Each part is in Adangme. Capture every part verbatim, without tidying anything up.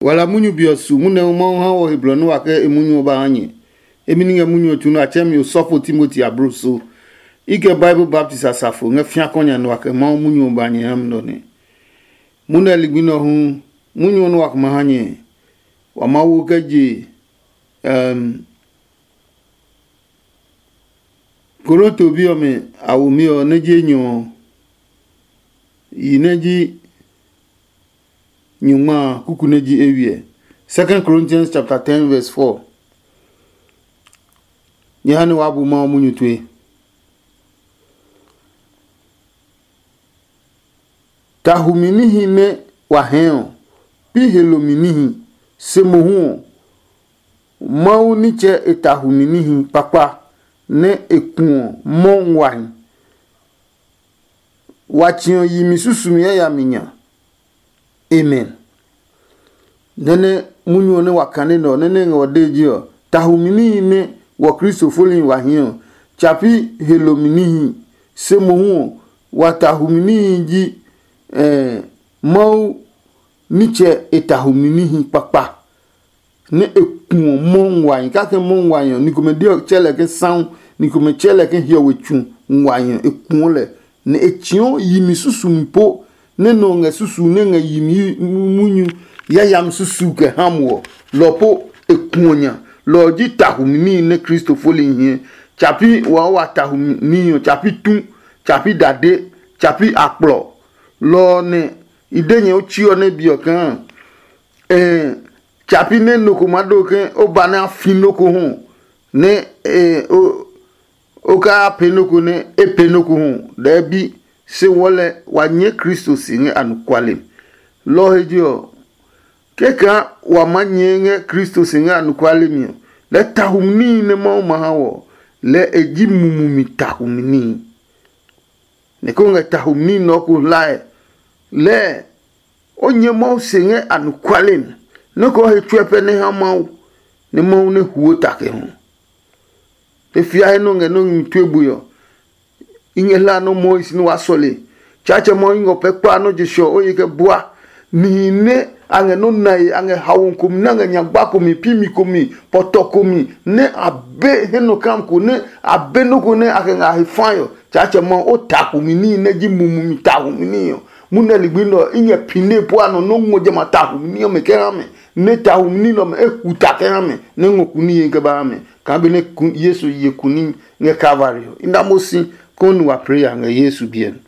Wala munyu be ɔ su munyu nɛ Mawu ha wɔ he blɔ nɛ wa kɛ e munyu ɔ ba ha nyɛ. Emi ní ngɛ munyu ɔ tsu nɛ a tsɛɛ mi osɔfo Timoti abloso. I kɛ Bible baptist asafo ngɛ fiakɔ nya nɛ wa kɛ Mawu munyu ɔ ba nyɛ ha mi nɔ nɛ. Munyu nɛ ligbi nɛ ɔ hu, munyu ɔ nɛ wa kɛ ma ha nyɛ, wa Mawu kɛ je, um, Korinto bi ɔmɛ a womi ɔ nɛ ji enyɔ ɔ, yi nɛ ji nyungma a, kuku nɛ ji eywiɛ. Second Corinthians chapter ten verse four. Nyɛ ha nɛ waa bu Mawu munyu tue. Tahumi níhi nɛ wa hɛɛ ɔ, pi helomi níhi, se mohu ɔ, Mawu nitsɛ e tahumi níhi kpakpa nɛ e kuɔ mɔ nguahi. Wa tsiɔ yimi susumi yayami nya. Amen. Nɛ́ nɛ munyu ɔ nɛ wa kane nɛ ɔ, nɛ́ nɛ ngɛ wa dee je ɔ, tahumi níhi nɛ wɔ Kristo foli wa hie ɔ, tsa pi helomi níhi. Se mohu ɔ, wa tahumi níhi ji eh, Mawu nitsɛ e tahumi níhi kpakpa, nɛ e kuɔ mɔ nguahi. Kake mɔ nguahi ɔ, ni komɛ de ɔ tsɛ lɛ ke saŋ, ni komɛ tsɛ lɛ ke hiɔwe tsu nguahi ɔ, e kuɔ lɛ, nɛ e tsiɔ yimi susumi po nɛ nɔ ngɛ susu nɛ ngɛ yimi munyu yayami susu kɛ ha mo ɔ, lɔ po e kuɔ nya. Lɔ ɔ ji tahumi níhi nɛ Kristo foli hie. Tsa pi wa wa tahumi níhi ɔ, tsa pi tu, tsa pi dade, tsa pi akplɔ. Lɔ ɔ nɛ i de nyɛ o tsi ɔ nɛ bi ɔ kaa, ɛɛ tsa pi nɛ nɔ ko maa do ke o ba nɛ a fi nɔ ko hu nɛ ɛɛ o o kaa pee nɔ ko nɛ e pee nɔ ko hu lɛɛ bi, se wɔɔ lɛ wa nyɛɛ Kristo si ngɛ anɔkuale mi. Lɔ ɔ he je ɔ, kɛkaa wa maa nyɛɛ ngɛ Kristo si ngɛ anɔkuale mi ɔ, lɛɛ tahumi níhi nɛ Mawu ma ha wɔ ɔ, lɛɛ e ji mumi mi tahumi níhi. Nɛ ko ngɛ tahumi níhi nɛ ɔ ko hlae, lɛɛ o nyɛ Mawu se ngɛ anɔkuale mi, nɔ́ ko he tsuɛ pɛ nɛ ha Mawu, nɛ Mawu nɛ huo ta kɛ hu. E fia he nɔ ngɛ nɔ́ ngmi tue bui ɔ, i ngɛ hla nɔ́ mɔɔ i si nɛ waa sɔle. Tsaatsɛ Mawu i ngɔ pɛ kpa nɔ́ je sɔ o ye kɛ bua. Nihi nɛ a ngɛ nɔ́ nae, a ngɛ hawo komi, nɛ a ngɛ nyagba komi, pimi komi, pɔtɔ komi, nɛ a be he nɔ kam ko, nɛ a be nɔ́ ko nɛ a kɛ ngɛ a he fae ɔ, Tsaatsɛ Mawu, o ta kumi níhi nɛ ji mumi mi ta kumi níhi ɔ. Munɛ ligbi nɛ ɔ, i ngɛ pine po a nɔ nɔ́ ngɔ jamɛ a ta kumi ní ɔmɛ kɛ ha mɛ, nɛ ta kumi ní nɛ ɔmɛ e hu ta kɛ ha mɛ, nɛ ngɔ kuni ye kɛ ba ha mɛ. Kaa benɛ Yesu ye kuni ngɛ Kalvari ɔ, i na mo si konɛ wa pee ya ngɛ Yesu biɛ mi.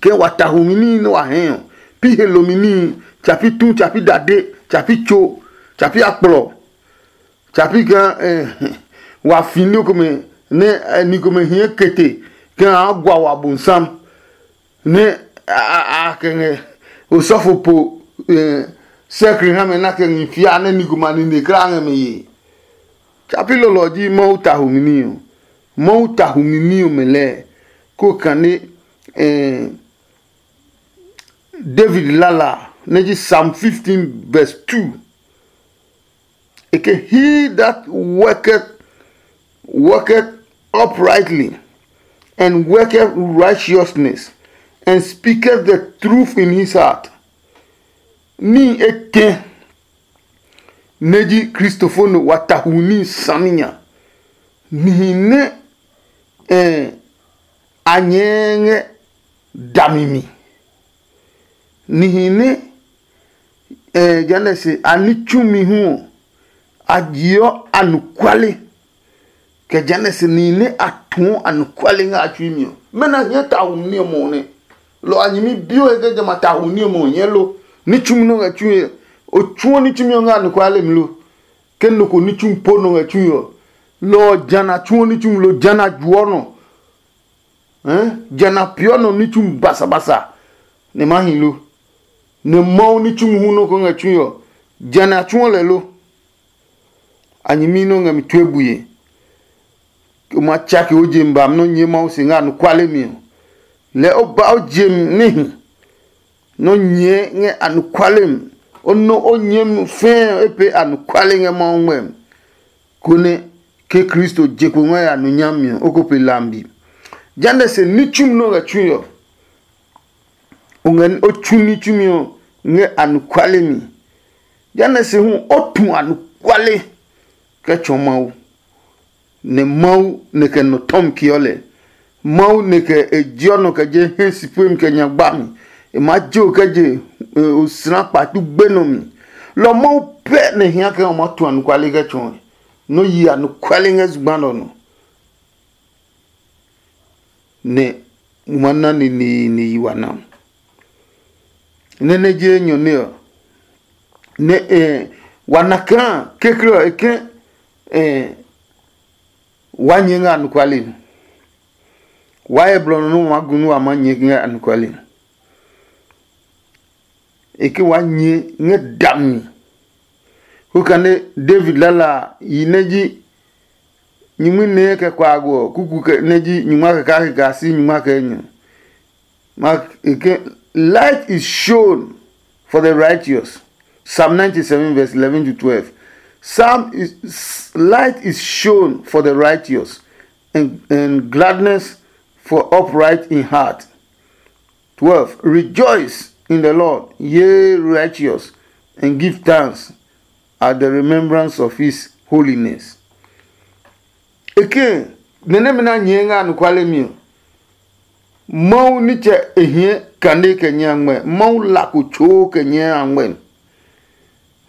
Ke wa ta humi níhi nɛ wa hɛɛ ɔ, pi he lomi níhi, tsa pi tu, tsa pi dade, tsa pi tso, tsa pi akplɔ, tsa pi kaa eh, wa fi ní komɛ nɛ eh, ni komɛ hiɛ kete kaa a gua wa bonsam nɛ a kɛ ngɛ osɔfo po eh, sɛkri ha mɛ na kɛ ngi fia nɛ ni komɛ a nine kla ngɛ mɛ yee. Tsa pi lɔlɔ ji Mawu ta humi ní ɔ. Mawu ta humi ní ɔmɛ lɛɛ ko kane eh, David lala nɛ ji Psalm fifteen verse two. E ke, he that worketh worketh uprightly and worketh righteousness and speaketh the truth in his heart. Ní etɛ nɛ ji Kristofo nɔ wa ta hu ní saminya, nihi nɛ eh, a nyɛɛ ngɛ dami mi. Nihi nɛ eh, jehanɛ se a ní tsumi hu ɔ, a jiɔ anɔkuale. Kɛ jehanɛ se nihi nɛ a tuɔ anɔkuale ngɛ a tsui mi ɔ, mɛnɔ a hiɛ ta hu ní ɔmɔ ɔ nɛ? Lɔ a nyɛmi bi o he ke jamɛ a ta hu ní ɔmɔ ɔ nyɛɛ lo? Ní tsumi nɔ ngɛ tsui ɔ, o tsuɔ ní tsumi ɔ ngɛ anɔkuale mi lo? Ke nɔ ko ní tsumi po nɔ ngɛ tsui ɔ, lɔ ɔ jana tsuɔ ní tsumi lo, jana juɔ nɔ. Jana peeɔ nɔ ní tsumi basabasa nɛ ma hi lo? Nɛ Mawu ní tsumi hu nɔ ko ngɛ tsui ɔ, jana a tsuɔ lɛ lo? A nyɛmi nɔ ngɛ mi tue bue. O ma tsake o je mi ba nɔ́ nyɛɛ Mawu se ngɛ anɔkuale mi ɔ, lɛɛ o ba o je mi níhi. Nɔ́ nyɛɛ ngɛ anɔkuale mi, o nɔ o nyɛɛ mi fɛɛ o pee anɔkuale ngɛ Mawu ngmɛmi, konɛ ke Kristo je kpo ngɛ ya nɔ nyami ɔ, o ko pe lambi. Jehanɛ se ní tsumi nɛ o ngɛ tsui ɔ, o ngɛ o tsu ní tsumi ɔ ngɛ anɔkuale mi. Jehanɛ se hu o tu anɔkuale kɛ tsɔɔ Mawu, nɛ Mawu nɛ kɛ nɔ tɔmi keɔ lɛ. Mawu nɛ kɛ e jeɔ nɔ kɛ je hɛ si puemi kɛ nya gba mi. E maa je o kɛ je osla kpatu gbe nɔ mi. Lɔ Mawu pɛ nɛ hia kɛ o maa tu anɔkuale kɛ tsɔɔ nɔ yi anɔkuale ngɛ zugba nɔ nɔ. Nɛ mo ma na neneene yi wa na. Nɛ nɛ je enyɔ nɛ ɔ, nɛ eh, wa na kaa kekle ɔ e ke eh, wa nyɛ ngɛ anɔkuale mi. Wa hyɛ blɔ nɔ nɛ wa gu nɛ wa ma nyɛ ngɛ anɔkuale mi. E ke wa nyɛ ngɛ dami. Ko kane David lala a yi nɛ ji nyingmi nɛ kɛ kuago ɔ kuku kɛ nɛ ji nyingma kɛ kake kaa si nyingma kɛ enyɔ. Ma e ke, light is shown for the righteous. Psalm ninety-seven verse eleven to twelve. Psalm is, light is shown for the righteous, and, and gladness for upright in heart. Twelve. Rejoice in the Lord, ye righteous, and give thanks at the remembrance of his holiness. Eke, nɛ nɛmɛ na nyɛɛ ngɛ anɔkuale mi ɔ, Mawu nitsɛ e hiɛ kane kɛ nyɛ a ngmɛ, Mawu la ko tsoo kɛ nyɛ a ngmɛ.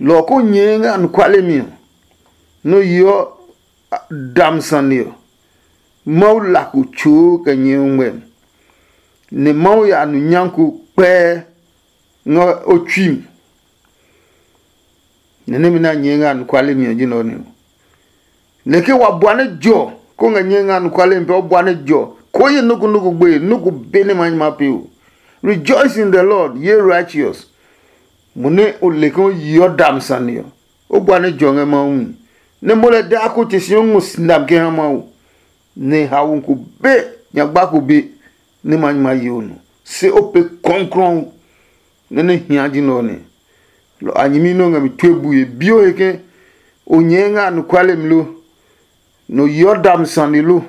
Lɔ ɔ ko nyɛɛ ngɛ anɔkuale mi ɔ, nɔ yeɔ dam sane ɔ, Mawu la ko tsoo kɛ nyɛ ɔ ngmɛ, nɛ Mawu ya nu nyako kpɛɛ ngɛ o tsui mi. Nɛ nɛmɛ nɛ a nyɛɛ ngɛ anɔkuale mi ɔ ji nɛ ɔ nɛ ɔ. Nɛ ke wa bua nɛ jɔ, ko ngɛ nyɛɛ ngɛ anɔkuale mi pɛ o bua nɛ jɔ, ko ye nɔ́ ko nɔ́ ko gbe nɔ́ ko be nɛ ma nyɛ ma pee o. Rejoice in the Lord, ye righteous. Mo nɛ o le ke o yeɔ dam sane ɔ, o bua nɛ jɔ ngɛ Mawu mi. Nɛ mo lɛ daa ko te si o ngɔ sinam kɛ ha Mawu. Nɛ haoe ko be nyagba ko be nɛ ma nyɛ ma ye o nɔ, se o pe kɔnklɔn nɛ nɛ hia ji nɛ ɔ nɛ. Lɔ a nyɛmi nɛ o ngɛ mi tue bue bi o he ke o nyɛɛ ngɛ anɔkuale mi lo, nɛ o yeɔ dami sane lo,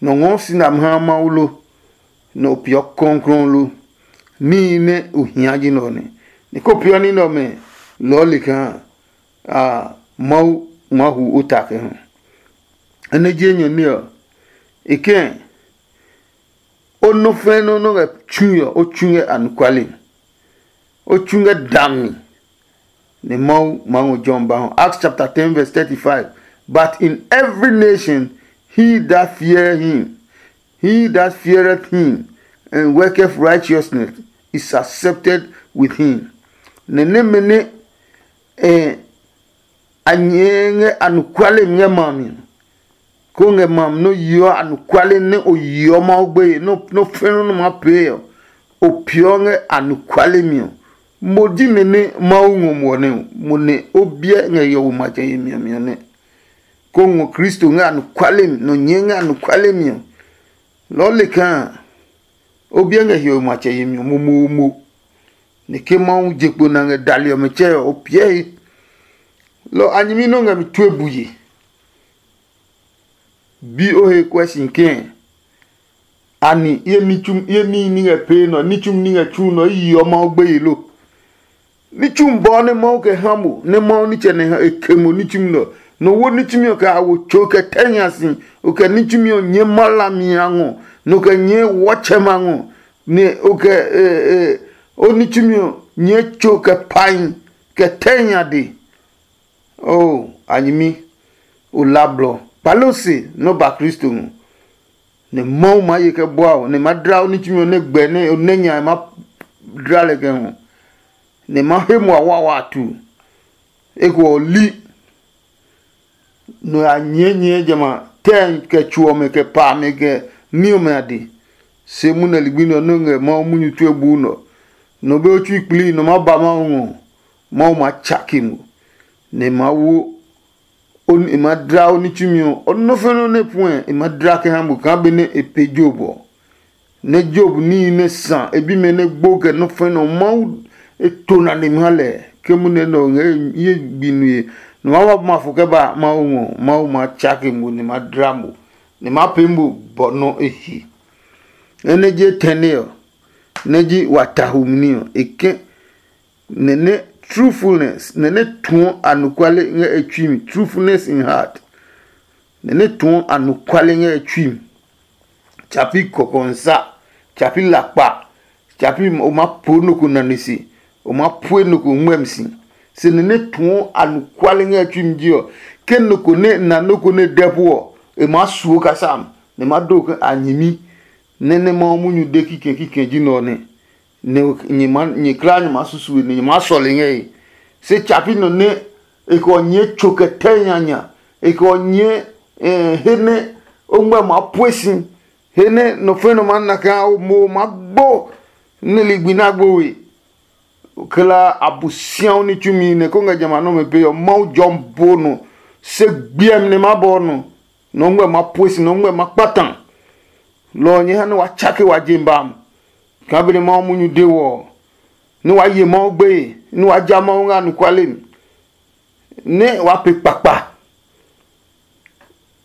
nɛ o ngɔɔ sinami ha Mawu lo, nɛ o peeɔ kɔnklɔn lo. Níhi nɛ o hia ji nɛ ɔ nɛ. Nɛ ko peeɔ ní nɛ ɔmɛ lɔɔ le kaa a Mawu maa hu o ta kɛ ha. Enɛ ji enyɔ ní ɔ, e kɛ̃ o nɔ fɛ̃ nɔ́ nɔ́ ngɛ tsui ɔ, o tsu ngɛ anɔkuale mi. O tsu ngɛ dami, nɛ Mawu maa ngɔ jɔmi ba hɔ. Acts chapter ten verse thirty-five. But in every nation he that fear him, he that feareth him and worketh righteousness is accepted with him. Nɛ nɛmɛ nɛ eh, a nyɛɛ ngɛ anɔkuale mi ngɛ ma mi, ko ngɛ ma mi nɛ o yeɔ anɔkuale nɛ o yeɔ Mawu gbeye nɔ́ fɛ̃nɔ nɛ ma pee ɔ, o peeɔ ngɛ anɔkuale mi ɔ. Mo ji nɛ nɛ Mawu ngɔ mo ɔ nɛ mo nɛ o biɛ ngɛ hiɔwe matsɛ yemi ɔ mi ɔ nɛ. Ko ngɔ Kristo ngɛ anɔkuale mi, nɔ nyɛɛ ngɛ anɔkuale mi ɔ, lɔɔ le kaa o biɛ ngɛ hiɔwe matsɛ yemi ɔ momomo. Nɛ ke Mawu je kpo na ngɛ dali ɔmɛ tsɛ ɔ, o piɛ he. Lɔ a nyɛmi nɛ o ngɛ mi tue bue. Bi o he kuɛ si kɛ̃? Ani ye níhi ni ngɛ pee nɔ, ní tsumi ni ngɛ tsu nɔ, i yeɔ Mawu gbeye lo? Ní tsumi bɔɔ nɛ Mawu kɛ ha mo, nɛ Mawu nitsɛ nɛ e ke mo ní tsumi nɔ. Nɔ wo ní tsumi ɔ kɛ a wo tso kɛ tɛ nya si, o kɛ ní tsumi ɔ nyɛɛ ma hlami a ngɔ, nɛ o kɛ nyɛɛ wɔtsɛma ngɔ, nɛ o kɛ o ní tsumi ɔ nyɛɛ tso kɛ pahi kɛ tɛ nya de. Oo, a nyɛmi, o la blɔ. Kpale o se nɛ o ba Kristo ngɔ, nɛ Mawu maa ye kɛ bua o, nɛ ma dla o ní tsumi ɔ nɛ gbɛ nɛ o nɛ nya ma dla lɛ kɛ ngɔ, nɛ ma he mo a wa wa tu. Eko ɔ li, nɔ ya nyɛɛ nyɛɛ jamɛ a tɛ kɛ tso ɔmɛ kɛ pa amɛ kɛ ní ɔmɛ a de. Se munɛ ligbi nɛ ɔ nɔ́ ngɛ Mawu munyu tue buu nɔ. Nɔ be o tsui kpli nɔ ma ba Mawu ngɔ, Mawu maa tsake mo, nɛ e maa wo e maa dla o ní tsumi ɔ, o nɔ́ nɔ́ nɛ puɛ e maa dla kɛ ha mo kaa benɛ e pe Yob ɔ. Nɛ Yob níhi nɛ sa e bimɛ nɛ gbo kɛ nɔ́ nɔ Mawu e to na nɛ mi ha lɛ, ke munɛ nɛ ɔ ngɛ ye gbi nue, nɔ ma ba ma fo kɛ ba Mawu ngɔ, Mawu maa tsake mo nɛ ma dla mo, nɛ ma pee mo bɔ nɔ e he. Enɛ je tɛne ɔ, nɛ ji wa ta humi ní ɔ, e kɛ nɛ nɛ truthfulness, nɛ nɛ tuɔ anɔkuale ngɛ e tsui mi, truthfulness in heart, nɛ nɛ tuɔ anɔkuale ngɛ e tsui mi. Tsapi kɔkɔnsa, tsapi lakpa, tsapi o ma po nɔ ko nane se, o ma pue nɔ ko ngmɛmi si. Se nɛ nɛ tuɔ anɔkuale ngɛ e tsui mi ji ɔ, ke nɔ ko nɛ na nɔ ko nɛ dɛ po ɔ, e maa suo kasa mi, nɛ ma do ke a nyɛmi. Nɛ nɛ Mawu munyu de kikɛ kikɛ ji nɛ ɔ nɛ, nɛ nyɛ ma nyɛ kla nyɛ ma susu nɛ nyɛ ma sɔle ngɛ e. Se tsapi nɔ nɛ e kɛ ɔ nyɛɛ tso kɛ tɛ nyanya, e kɛ ɔ nyɛɛ eh, he nɛ o ngmɛ ma pue si, he nɛ nɔ fɛ nɔ ma na kaa o mo ma gbo nɛ ligbi na gbo we. Kla abusiawo ní tsumi nɛ ko ngɛ jamɛ a nɔmɛ pee ɔ, Mawu jɔmi bo nɔ, se gbiɛmi nɛ ma bɔ nɔ, nɔ ngmɛ ma pue si, nɔ ngmɛ ma kpata. Lɔ ɔ nyɛ ha nɛ wa tsake wa je ba mu, kaa benɛ Mawu munyu de wɔ ɔ, nɛ wa ye Mawu gbeye, nɛ wa ja Mawu ngɛ anɔkuale mi, nɛ wa pe kpakpa,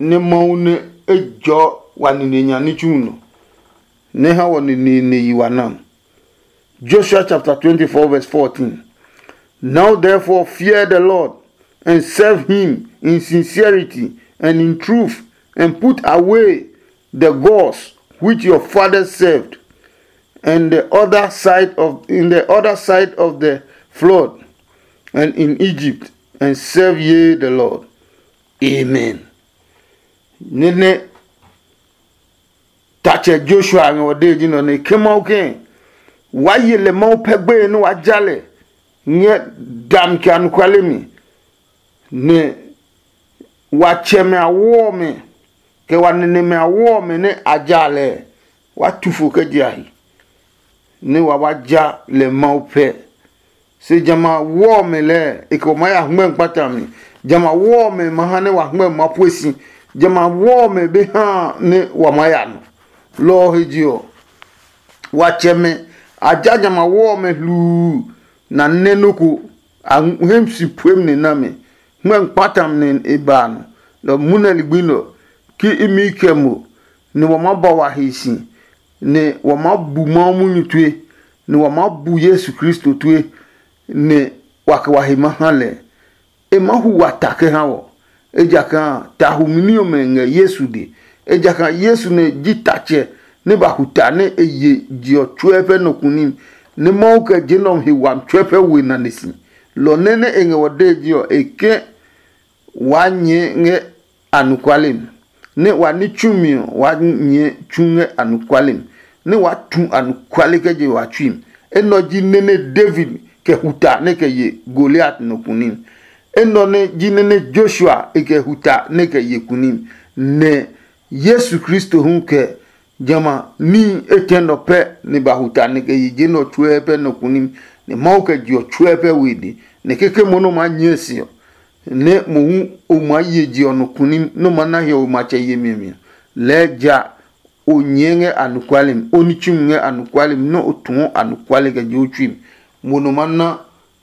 nɛ Mawu nɛ e jɔɔ wa nine nya ní tsu nɔ, nɛ e ha wɔ nine ne yi wa na. Joshua chapter twenty-four, verse fourteen. Now therefore fear the Lord and serve him in sincerity and in truth, and put away the gods which your fathers served, and the other side of in the other side of the flood, and in Egypt, and serve ye the Lord. Amen. Nene tatsɛ Joshua ngɛ wɔ dee ji nɔ ne ke Mawu ke wa ye lɛ Mawu pɛ gbeye nɛ wa ja lɛ ngɛ dami kɛ anɔkuale mi, nɛ wa tsɛmɛ awo ɔmɛ kɛ wa nɛnɛmɛ awo ɔmɛ nɛ a ja lɛ, wa tu fo kɛ je a he, nɛ wa wa ja lɛ Mawu pɛ. Se jamɛ a wɔ ɔmɛ lɛɛ e kɛ wa maa ya hngmɛ kpata mi. Jamɛ a wɔ ɔmɛ ma ha nɛ wa hngmɛ ma pue si. Jamɛ a wɔ ɔmɛ be ha nɛ wa maa ya nɔ. Lɔ ɔ he je ɔ, wa tsɛmɛ a ja jamɛ a wɔ ɔmɛ hluu, na nɛ nɔ́ ko a hɛ si puemi nɛ na mɛ. Hngmɛ kpata mi nɛ e ba a nɔ. Lɔ mohu nɛ ligbi nɛ ɔ, ke imi kɛ mo, nɛ wa maa ba wa he si, nɛ wa maa bu Mawu munyu tue, nɛ wa maa bu Yesu Kristo tue, nɛ wa kɛ wa he ma ha lɛ. E maa hu wa ta kɛ ha wɔ, ejakaa ta humi ní ɔmɛ ngɛ Yesu de. Ejakaa Yesu nɛ ji tatsɛ nɛ ba hu ta nɛ e ye je ɔ tsuɛ pɛ nɔ kunim, nɛ Mawu kɛ je nɛ ɔ he wami tsuɛ pɛ we nane si. Lɔ nɛ nɛ e ngɛ wɔ dee je ɔ, e ke waa nyɛɛ ngɛ anɔkuale mi, nɛ wa ní tsumi ɔ waa nyɛɛ tsu ngɛ anɔkuale mi, nɛ waa tu anɔkuale kɛ je wa tsui mi. Enɛ ɔ ji nɛ nɛ David kɛ huta nɛ kɛ ye Goliat nɔ kunim. Enɛ ɔ nɛ ji nɛ nɛ Joshua e kɛ huta nɛ kɛ ye kunim. Nɛ Yesu Kristo hu kɛ jamɛ a níhi etɛ nɔ pɛ nɛ ba huta nɛ kɛ yi je nɛ ɔ tsuɛ pɛ nɔ kunim, nɛ Mawu kɛ je ɔ tsuɛ pɛ we de, nɛ keke mo nɛ o maa nyɛɛ se ɔ, nɛ mohu o maa ye je ɔ nɔ kunim nɛ o maa na hiɔwe matsɛ yemi ɔ mi ɔ, lɛɛ ja o nyɛɛ ngɛ anɔkuale mi, o ní tsumi ngɛ anɔkuale mi, nɛ o tuɔ anɔkuale kɛ je o tsui mi. Mo nɔ maa na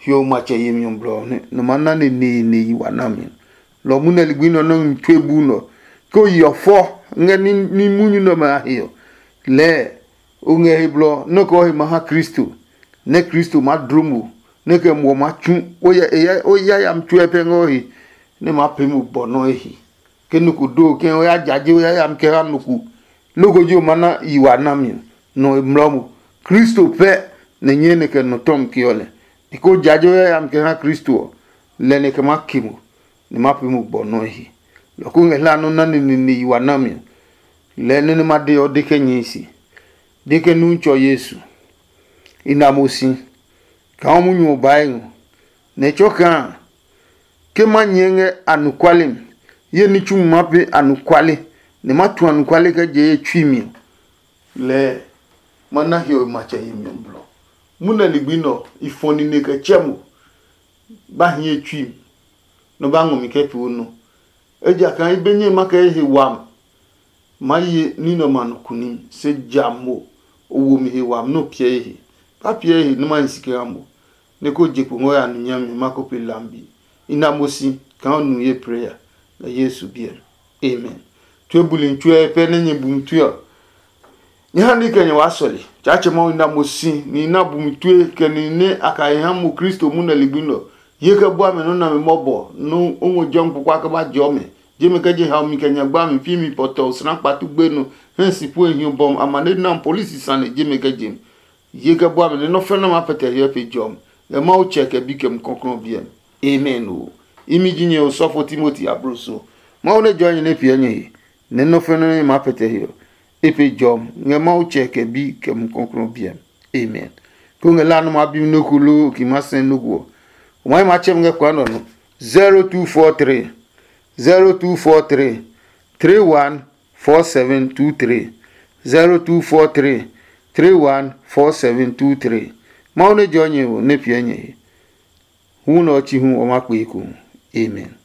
hiɔwe matsɛ yemi ɔ blɔ ɔ nɛ nɔ maa na neneene yi wa nami ɔ. Lɔ ɔ munɛ ligbi nɛ ɔ nɔ́ ngmi tue buu nɛ ɔ, ke o yeɔ fɔ ngɛ ní munyu nɛ ɔmɛ a he ɔ, lɛɛ o ngɛ he blɔ nɛ o kɛ o he ma ha Kristo, nɛ Kristo maa dlo mo, nɛ kɛ muɔ maa tsu o yayami tsuɛ pɛ ngɛ o he, nɛ maa pee mo bɔ nɔ́ e he. Ke nɔ ko do ke o ya jaje o yayami kɛ ha nɔ ko, loko ji o ma na yi wa nami ɔ, nɔ e mlɔ mo. Kristo pɛ nɛ nyɛɛ nɛ kɛ nɔ tɔmi ke ɔ lɛ. E ko jaje o yayami kɛ ha Kristo ɔ, lɛ nɛ kɛ ma ke mo, nɛ ma pee mo gbɔ nɔ́ he. Lɔ ko ngɛ hla nɔ́ na neneene yi wa nami ɔ, lɛɛ nɔ́ nɛ ma de ɔ de kɛ nyɛe se. De ke nu tsɔ Yesu, i na mo si, kaa o munyu ɔ bae ngɔ, nɛ e tsɔ kaa ke ma nyɛɛ ngɛ anɔkuale mi, ye ní tsu ma pee anɔkuale, nɛ ma tu anɔkuale kɛ je ye tsui mi ɔ, lɛɛ ma na hiɔwe matsɛ yemi ɔ blɔ. Munɛ ligbi nɛ ɔ, i fɔ nine kɛ tsɛ mo, ba hi ye tsui mi, nɔ ba ngɔ mi kɛ pee o nɔ. Ejakaa i be nyɛe ma kɛ ye he wami, ma ye ní nɛ ɔmɛ a nɔ kunim, se ja mo o wo mi he wami nɛ o piɛ ye he. Ba piɛ ye he nɛ ma hi si kɛ ha mo, nɛ ko je kpo ngɔ ya nu nyami ma ko pe lambi. I na mo si kaa o nu ye preya ngɛ Yesu biɛ mi. Amen. Tue buli tsuɛ pɛ nɛ nyɛ bumi tue ɔ, Nyɛ ha ni kɛ nyɛ waa sɔle. Tsaatsɛ Mawu na mo si ni na bu mi tue kɛ ni nɛ a ka he ha mo Kristo munɛ ligbi nɔ. Ye kɛ bua mɛ nɔ́ nami mɔbɔ nú o ngɔ jɔ mi kpokpa kɛ ba jɔ mɛ. Jemi kɛ je haomi kɛ nyagba mi pi mi pɔtɔ osra kpatu gbenu hɛ si pu e hiɔ bɔm amane nam polisi sane jemi kɛ je mi. Ye kɛ bua mɛ nɛ nɔ́ fɛnɛ ma pɛtɛ hiɔ pe jɔ mi. Ngɛ Mawu tsɛ kɛ bi kɛ mu kɔklɔ biɛ mi. Amen o. Imi ji nyɛ osɔfo Timoti abloso. Mawu nɛ jɔ nyɛ nɛ piɛ nyɛ he. Nɛ nɔ́ fɛnɛ nɛ ma pɛtɛ hiɔ. E pe jɔ mi. Ngɛ Mawu tsɛ kɛ bi kɛ mu kɔklɔ biɛ mi. Amen. Ko ngɛ la nɔ ma bi mi nɔ ko loo ki ma sɛ nɔ ko. O ma ma tsɛ mi ngɛ kwa nɔ no. zero two four three zero two four three three one four seven two three zero two four three three one four seven two three. Mawu ne jɔ nyɛ o ne piɛ nyɛ he. Hu nɔ ɔ chi hu o ma kpe ko. Amen.